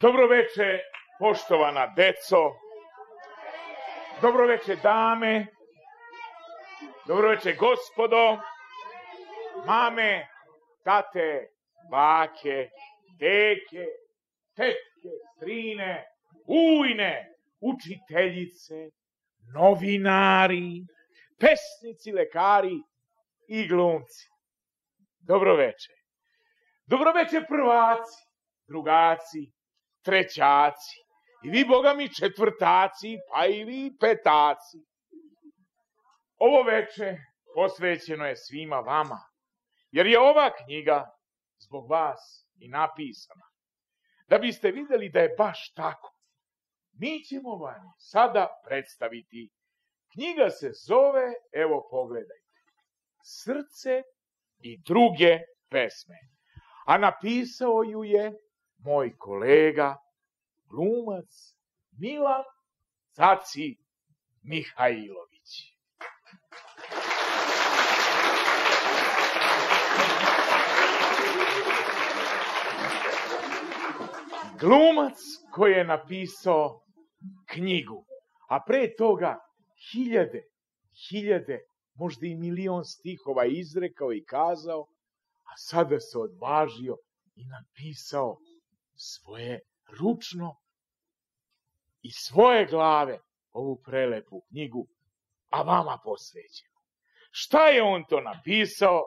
Dobroveče, poštovana deco, dobroveče dame, dobroveče gospodo, mame, tate, bake, deke, tetke, strine, ujne, učiteljice, novinari, pesnici, lekari i glumci. Dobroveče. Dobroveče prvaci, drugaci, trećaci, i vi, boga mi, četvrtaci, pa i vi petaci. Ovo veče posvećeno je svima vama, jer je ova knjiga zbog vas i napisana. Da biste vidjeli da je baš tako, mi ćemo vam sada predstaviti. Knjiga se zove, evo pogledajte, Srce i druge pesme. A napisao ju je moj kolega, glumac Milan Caci Mihajlović. Glumac koji je napisao knjigu, a pre toga hiljade, možda i milion stihova izrekao i kazao, a sada se odvažio i napisao svoje ručno i svoje glave ovu prelepu knjigu, a vama posvećenu. Šta je on to napisao?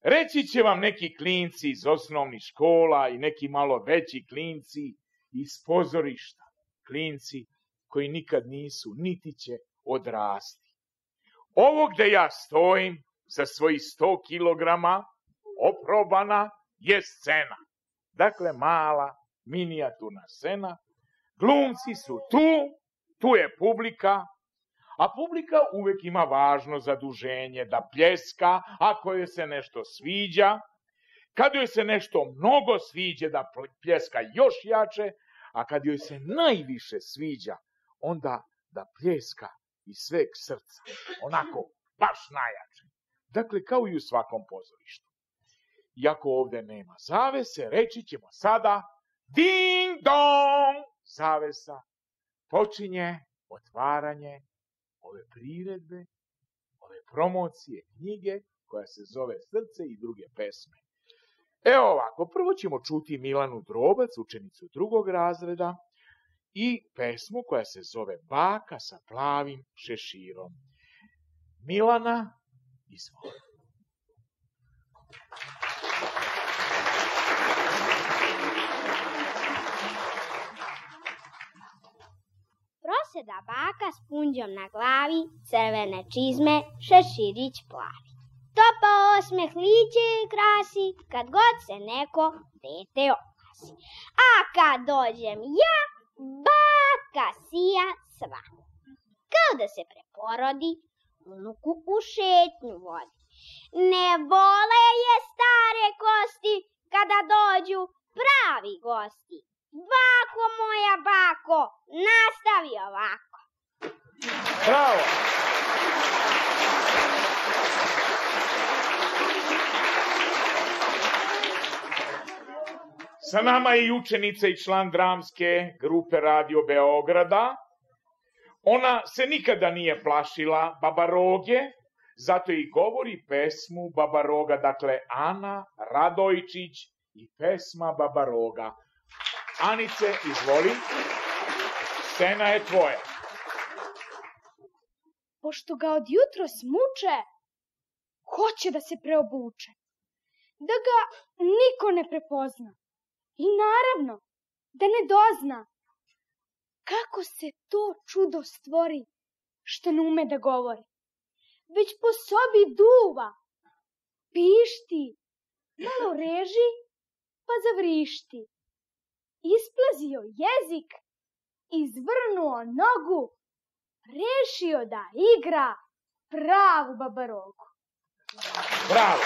Reći će vam neki klinci iz osnovnih škola i neki malo veći klinci iz pozorišta. Klinci koji nikad nisu, niti će odrasti. Ovo gde ja stojim sa svojih 100 kilograma oprobana je scena. Dakle, mala, minijaturna scena. Glumci su tu je publika, a publika uvek ima važno zaduženje da pljeska ako joj se nešto sviđa, kad joj se nešto mnogo sviđa da pljeska još jače, a kad joj se najviše sviđa, onda da pljeska iz sveg srca, onako baš najjače. Dakle, kao i u svakom pozorištu. Iako ovde nema zavese, reći ćemo sada ding dong, zavesa. Počinje otvaranje ove priredbe, ove promocije knjige koja se zove Srce i druge pesme. Evo ovako, prvo ćemo čuti Milanu Drobac, učenicu 2. razreda, i pesmu koja se zove Baka sa plavim šeširom. Milana, izvoli. Proseda baka s punđom na glavi, crvene čizme, šeširić plavi. Topa osmeh lice krasi, kad god se neko dete oglasi. A kad dođem ja, baka sija sva. Kao da se preporodi, unuku u šetnju vodi. Ne vole je stare kosti, kada dođu pravi gosti. Bako moja bako, nastavi ovako. Bravo! Sa nama je i učenica i član dramske grupe Radio Beograda. Ona se nikada nije plašila babaroge, zato i govori pesmu Babaroga, dakle Ana Radojčić i pesma Babaroga. Anice, izvoli, scena je tvoja. Pošto ga od jutros muče, hoće da se preobuče, da ga niko ne prepozna i naravno da ne dozna kako se to čudo stvori što ne ume da govori, već po sobi duva, pišti, malo reži pa zavrišti. Isplazio jezik, izvrnuo nogu, rešio da igra pravu babarogu. Bravo!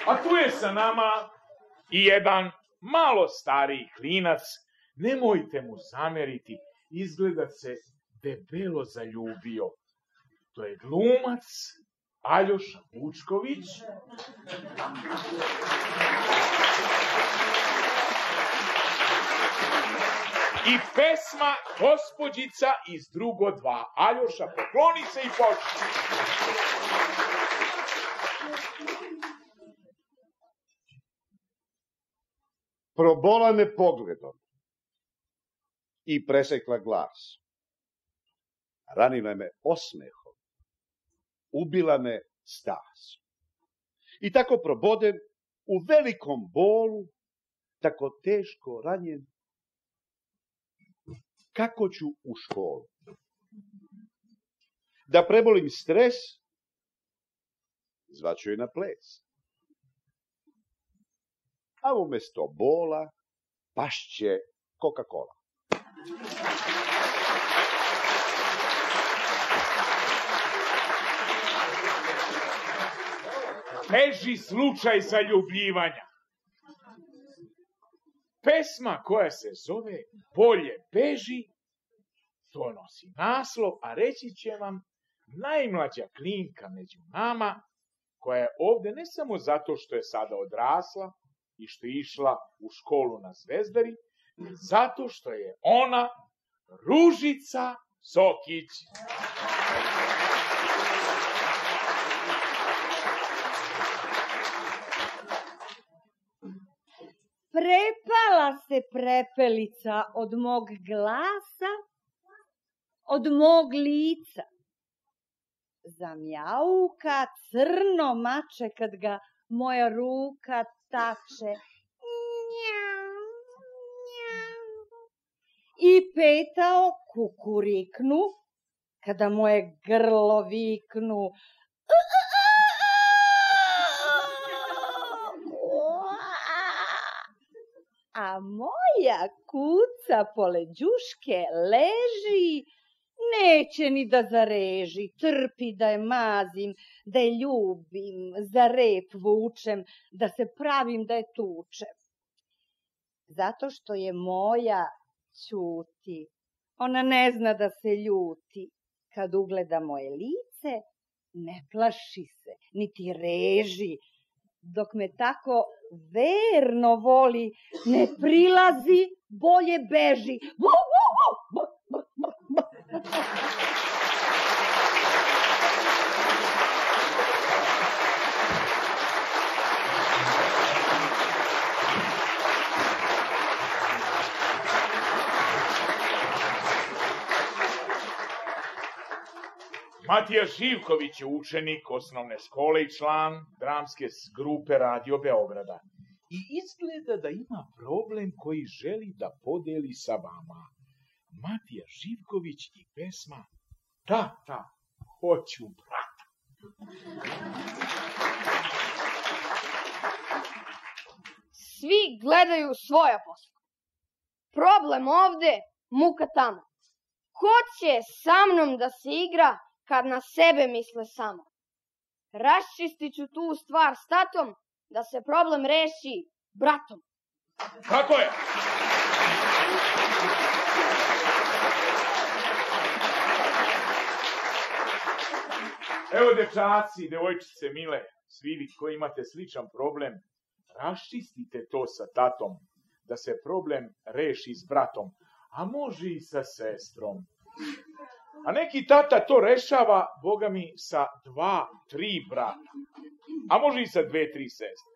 A tu je sa nama i jedan malo stariji klinac. Nemojte mu zameriti, izgleda se debelo zaljubio. To je glumac Aljoša Vučković. I pesma Gospođica iz drugo 2. Aljoša, pokloni se i počni. Probola me pogledom i presekla glas. Ranila me osmehom, ubila me stasom. I tako probodem u velikom bolu, tako teško ranjen, kako ću u školu. Da prebolim stres, zvaću je na ples. A umjesto bola pašće Coca-Cola. Teži slučaj zaljubljivanja. Pesma koja se zove Bolje beži, to nosi naslov, a reći će vam najmlađa klinka među nama, koja je ovde ne samo zato što je sada odrasla i što je išla u školu na Zvezdari, zato što je ona Ružica Sokić. Prepala se prepelica od mog glasa, od mog lica. Zamjauka crno mače kad ga moja ruka tače. Njau, njau. I petao kukuriknu kada moje grlo viknu. A moja kuca pored đuške leži, neće ni da zareži, trpi da je mazim, da je ljubim, za rep vučem, da se pravim da je tučem. Zato što je moja ćuti, ona ne zna da se ljuti. Kad ugleda moje lice, ne plaši se, niti reži, dok me tako verno voli, ne prilazi, bolje beži. Matija Živković je učenik osnovne škole i član dramske grupe Radio Beograda. I izgleda da ima problem koji želi da podeli sa vama. Matija Živković i pesma Tata, hoću brata. Svi gledaju svoja posla. Problem ovde, muka tamo. Ko će sa mnom da se igra kad na sebe misle samo? Raščistit ću tu stvar s tatom, da se problem reši bratom. Tako je! Evo, dečaci, devojčice mile, svi vi koji imate sličan problem, raščistite to sa tatom, da se problem reši s bratom, a može i sa sestrom. A neki tata to rešava, Boga mi, sa 2-3 brata. A može i sa 2-3 sestre.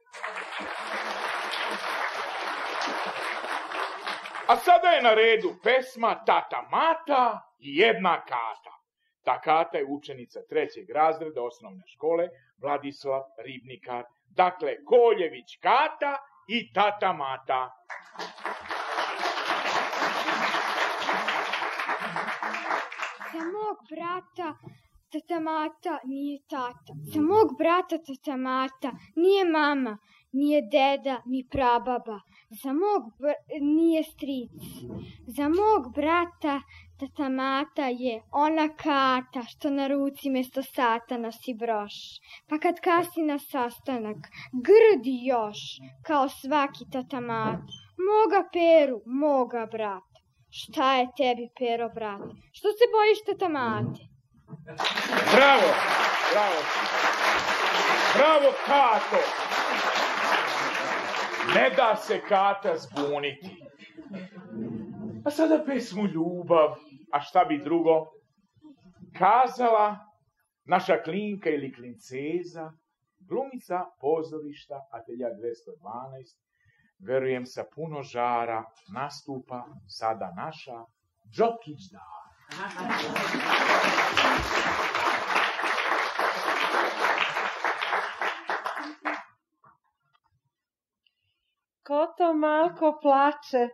A sada je na redu pesma Tata Mata i jedna kata. Ta kata je učenica 3. razreda osnovne škole Vladislav Ribnikar. Dakle, Koljević Kata i Tata Mata. Za mog brata Tata Mata nije tata. Za mog brata Tata Mata nije mama, nije deda, ni prababa. Za mog nije stric. Za mog brata Tata Mata je ona kata što na ruci mesto sata nosi broš. Pa kad kasni na sastanak, grdi još, kao svaki Tata Mata. Moga Peru, moga brata. Šta je tebi, Pero, brate? Što se bojiš Tata Mate? Bravo, bravo. Bravo, Kato. Ne da se Kata zbuniti. A sada pesmu Ljubav, a šta bi drugo? Kazala naša klinka ili klinceza, glumica pozorišta Atelja 212, verujem sa puno žara, nastupa sada naša Đokić Dara. Ko to malko plače,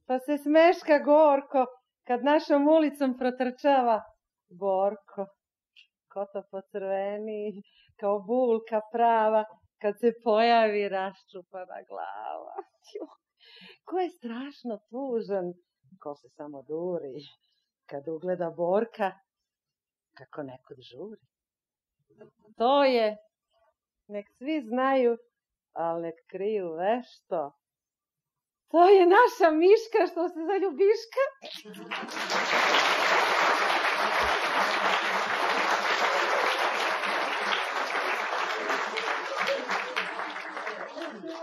pa se smeška gorko, kad našom ulicom protrčava Borko. Ko to pocrveni, kao bulka prava, kad se pojavi raščupana glava. Ko je strašno tužan, ko se samo duri, kad ugleda Borka, kako nekud žuri. To je, nek svi znaju, ali nek kriju vešto. To je naša Miška što se zaljubiška.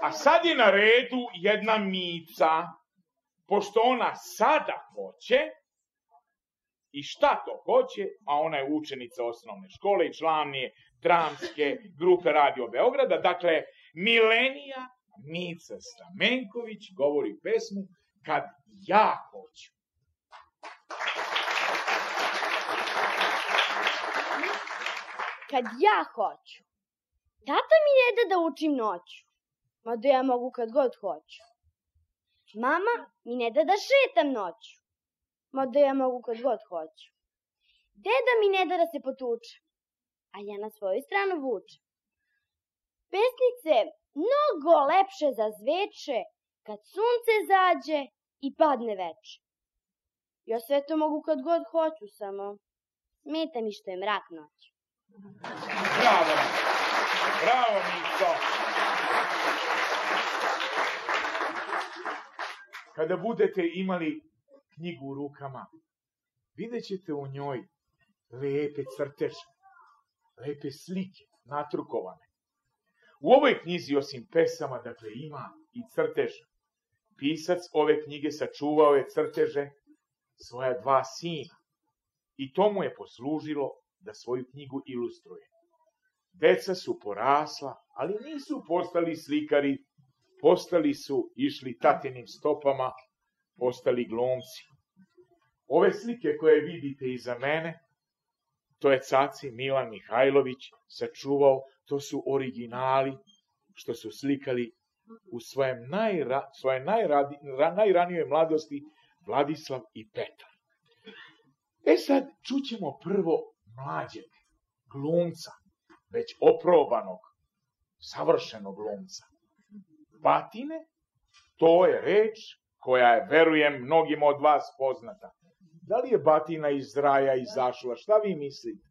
A sad je na redu jedna Mica, pošto ona sada hoće, i šta to hoće, a ona je učenica osnovne škole i član je dramske grupe Radio Beograda, dakle, Milenija Mica Stamenković govori pesmu Kad ja hoću. Kad ja hoću. Tata mi ne da da učim noću, mada ja mogu kad god hoću. Mama mi ne da da šetam noću, mada ja mogu kad god hoću. Deda mi ne da da se potuče, a ja na svoju stranu vučem. Pesnice mnogo lepše zazveče kad sunce zađe i padne veče. Ja sve to mogu kad god hoću, samo smeta mi što je mrak noć. Bravo, bravo Mico. Kada budete imali knjigu u rukama, vidjet ćete u njoj lepe crteže, lepe slike, natrukovane. U ovoj knjizi, osim pesama, dakle, ima i crteža. Pisac ove knjige sačuvao je crteže svoja dva sina i to mu je poslužilo da svoju knjigu ilustruje. Deca su porasla, ali nisu postali slikari, postali su išli tatinim stopama, postali glumci. Ove slike koje vidite iza mene, to je caci Milan Mihajlović sačuvao, to su originali što su slikali u svoje najranijoj mladosti Vladislav i Petar. E sad čućemo prvo mlađeg glumca, već oprobanog, savršenog glumca. Batine, to je reč koja je, verujem, mnogima od vas poznata. Da li je batina iz raja izašla? Šta vi mislite?